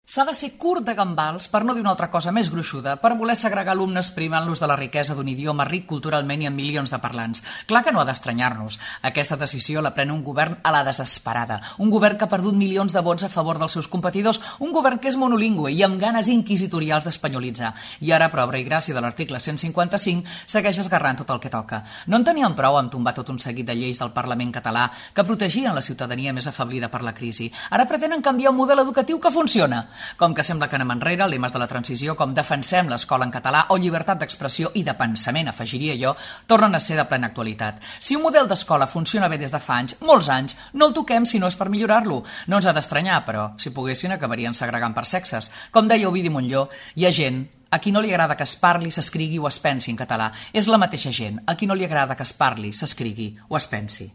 S'ha de ser curt de gambals, per no dir una altra cosa més gruixuda, per voler segregar alumnes privant-los de la riquesa d'un idioma ric culturalment i amb milions de parlants. Clar que no ha d'estranyar-nos. Aquesta decisió la pren un govern a la desesperada. Un govern que ha perdut milions de vots a favor dels seus competidors. Un govern que és monolingüe i amb ganes inquisitorials d'espanyolitzar. I ara, per obra i gràcia de l'article 155, segueix esgarrant tot el que toca. No en tenien prou amb tombar tot un seguit de lleis del Parlament català que protegien la ciutadania més afablida per la crisi. Ara pretenen canviar un model educatiu que funciona. Com que sembla que anem enrere, lemes de la transició com defensem l'escola en català o llibertat d'expressió i de pensament, afegiria jo, tornen a ser de plena actualitat. Si un model d'escola funciona bé des de fa anys, molts anys, no el toquem si no és per millorar-lo. No ens ha d'estranyar, però, si poguessin acabarien segregant per sexes. Com deia Ovidi Montllor, hi ha gent a qui no li agrada que es parli, s'escrigui o es pensi en català. És la mateixa gent a qui no li agrada que es parli, s'escrigui o es pensi.